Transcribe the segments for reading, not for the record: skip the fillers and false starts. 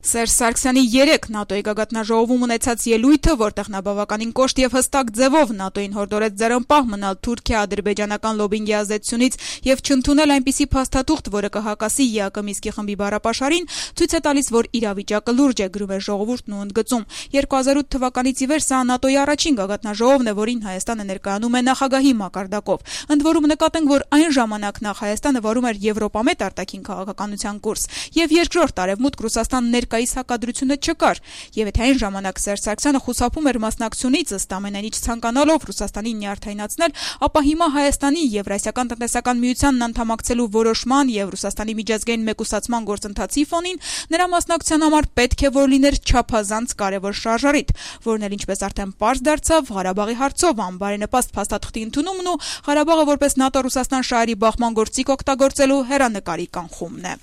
Սերժ Սարգսյանի 3 ՆԱՏՕ-ի գագաթնաժողովում ունեցած ելույթը, որտեղ նա բավականին կոշտ եւ հստակ ձևով ՆԱՏՕ-ին հորդորեց ձեռնպահ մնալ Թուրքիա-ադրբեջանական լոբինգի ազդեցությունից եւ չընդունել այնպիսի փաստաթուղթ, որը կհակասի ԵԱԿ Մինսկի խմբի բառապաշարին, ցույց է տալիս, որ իրավիճակը լուրջ է, գրում է ժողովուրդն ու ընդգծում. 2008 թվականից ի վեր սա ՆԱՏՕ-ի առաջին գագաթնաժողովն է, որին Հայաստանը ներկայանում է նախագահի մակարդակով։ Ընդ որում նկատենք, որ այն ժամանակ նախ Հայաստանը վարում էր Եվրոպամետ արտաքին քաղաքականության կուրս եւ երկրորդ արևմուտք Ռուսաստան ներկայիս հակադրությունը չկար, եւ եթե այն ժամանակ Սերժ Սարգսյանը խուսափում էր մասնակցությունից, ըստ ամենայն ինչ ցանկանալով Ռուսաստանին նյարդայնացնել, ապա հիմա Հայաստանի Եվրասիական տնտեսական միությանն անդամակցելու որոշման եւ Ռուսաստանի միջազգային մեկուսացման գործընթացի ֆոնին նրա մասնակցության համար պետք է որ լիներ չափազանց կարեւոր շարժառիթ, որն էլ ինչպես արդեն պարզ դարձավ, Ղարաբաղի հարցով անբարենպաստ փաստաթղթի ընդունումն ու Ղարաբաղը որպես ՆԱՏՕ-Ռուսաստան շահերի բախման գործիք օգտագործելու հեռանկարի կանխումն է։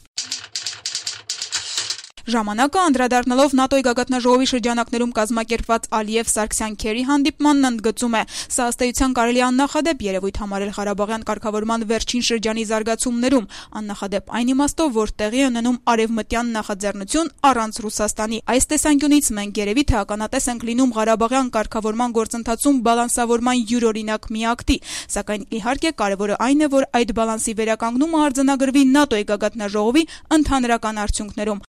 Ժամանակը անդրադառնալով ՆԱՏՕ-ի գագաթնաժողովի շրջանակներում կազմակերպված Ալիև-Սարգսյան-Քերի հանդիպմանն ընդգծում է. սա ըստ էության կարելի է աննախադեպ երևույթ համարել ղարաբաղյան կարգավորման վերջին շրջանի զարգացումներում, աննախադեպ այն իմաստով, որ տեղի է ունենում արևմտյան նախաձեռնություն առանց Ռուսաստանի։ Այս տեսանկյունից մենք երևի թե ականատես ենք լինում ղարաբաղյան կարգավորման գործընթացում բալանսավորման յուրօրինակ մի ակտի, սակայն իհարկե կարևորը այն է, որ այդ բալանսի վերականգնումը արձանագրվի ՆԱՏՕ-ի գագաթնաժողովի ընդհանրական արդյունքներում։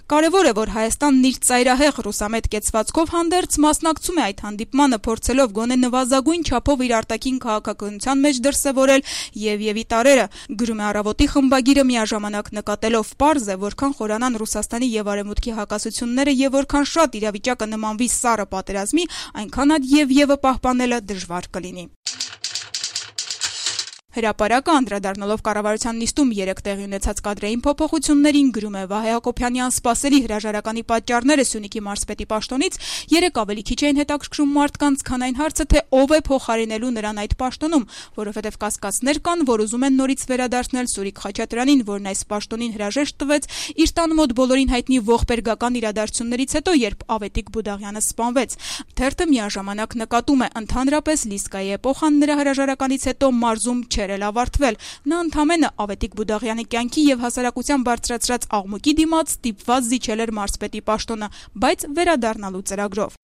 Կարևոր է, որ Հայաստանն իր ծայրահեղ ռուսամետ կեցվածքով հանդերձ մասնակցում է այդ հանդիպմանը, փորձելով գոնե նվազագույն չափով իր արտաքին քաղաքականության մեջ դրսևորել եւ տարերը, գրում է Առավոտի խմբագիրը միաժամանակ նկատելով. պարզ է, որքան խորանան Ռուսաստանի եւ Արևմուտքի հակասությունները եւ որքան շատ իրավիճակը նմանվի սառը պատերազմի, այնքան այդ եւ պահպանելը դժվար կլինի։ Հրապարակը անդրադառնալով կառավարության նիստում 3 տեղի ունեցած կադրային փոփոխություններին, գրում է Վահե Հակոբյանի անսպասելի հրաժարականի պատճառները Սյունիքի մարզպետի պաշտոնից 3 ավելի քիչ էին հետաքրքրում մարդկանց, քան այն հարցը, թե ով է փոխարինելու նրան այդ պաշտոնում, որովհետև կասկածներ կան, որ ուզում են նորից վերադարձնել Սուրիկ Խաչատրյանին, որն այս պաշտոնին հրաժեշտ տվեց իր տան մոտ բոլորին հայտնի ողբերգական իրադարձություններից հետո, երբ Ավետիք Բուդաղյանը սպանվեց։ Թերթը միաժամանակ նկատում է, ընդհանրապես Լիսկայի էպոխան նրա հրաժարականից հետո մարզում էլ ավարտվել։ Նա ընդամենը Ավետիք Բուդաղյանի կյանքի եւ հասարակության բարձրացրած աղմուկի դիմաց ստիպված զիջել էր մարզպետի պաշտոնը, բայց վերադառնալու ծրագրով։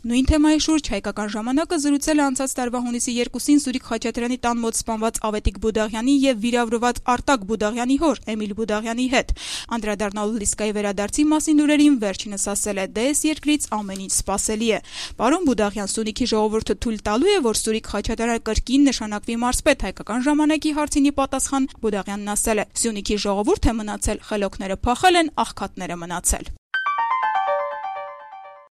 Նույն թեմայի շուրջ Հայկական ժամանակը զրուցել է անցած տարվա հունիսի 2-ին Սուրիկ Խաչատրյանի տան մոտ սպանված Ավետիք Բուդաղյանի եւ վիրավորված Արտակ Բուդաղյանի հոր Էմիլ Բուդաղյանի հետ։ Անդրադառնալով Լիսկայի վերադարձի մասին լուրերին, վերջինս ասել է. «Դե այս երկրից ամեն ինչ սպասելի է»։ Պարոն Բուդաղյան, Սյունիքի ժողովուրդը թույլ տալու է, որ Սուրիկ Խաչատրյանը կրկին նշանակվի մարզպետ։ Հայկական ժամանակի հարցին ի պատասխան Բուդաղյանն ասել է. «Սյունիքի ժողովուրդ է մնացել, խելոքները փախել են, աղքատները մնացել»։